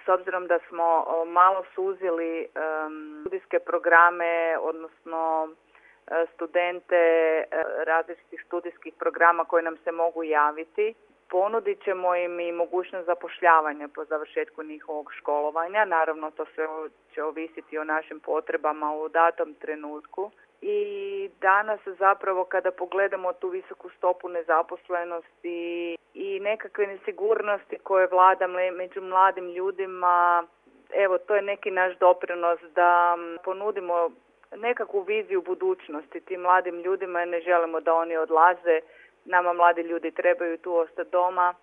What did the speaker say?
S obzirom da smo malo suzili studijske programe, odnosno studente različitih studijskih programa koji nam se mogu javiti, ponudit ćemo im i mogućnost zapošljavanja po završetku njihovog školovanja. Naravno, to sve će ovisiti o našim potrebama u datom trenutku. I danas zapravo kada pogledamo tu visoku stopu nezaposlenosti i nekakve nesigurnosti koje vlada među mladim ljudima, evo to je neki naš doprinos da ponudimo nekakvu viziju budućnosti tim mladim ljudima, ne želimo da oni odlaze. Nama mladi ljudi trebaju tu ostati doma